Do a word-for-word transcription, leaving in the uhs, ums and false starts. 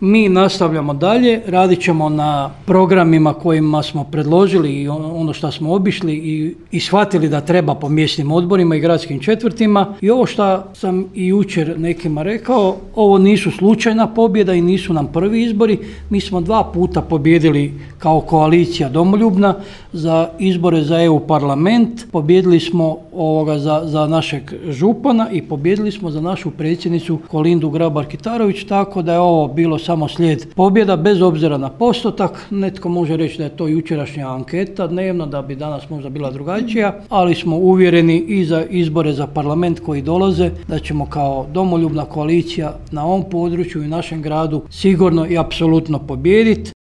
Mi nastavljamo dalje, radit ćemo na programima kojima smo predložili i ono što smo obišli i, i shvatili da treba po mjesnim odborima i gradskim četvrtima. I ovo što sam i jučer nekima rekao, ovo nisu slučajna pobjeda i nisu nam prvi izbori. Mi smo dva puta pobjedili kao koalicija Domoljubna za izbore za E U parlament. Pobjedili smo ovoga za, za našeg župana i pobjedili smo za našu predsjednicu Kolindu Grabar-Kitarović, tako da je ovo bilo samo slijed pobjeda, bez obzira na postotak. Netko može reći da je to jučerašnja anketa dnevno, da bi danas možda bila drugačija, ali smo uvjereni i za izbore za parlament koji dolaze da ćemo kao domoljubna koalicija na ovom području i našem gradu sigurno i apsolutno pobijediti.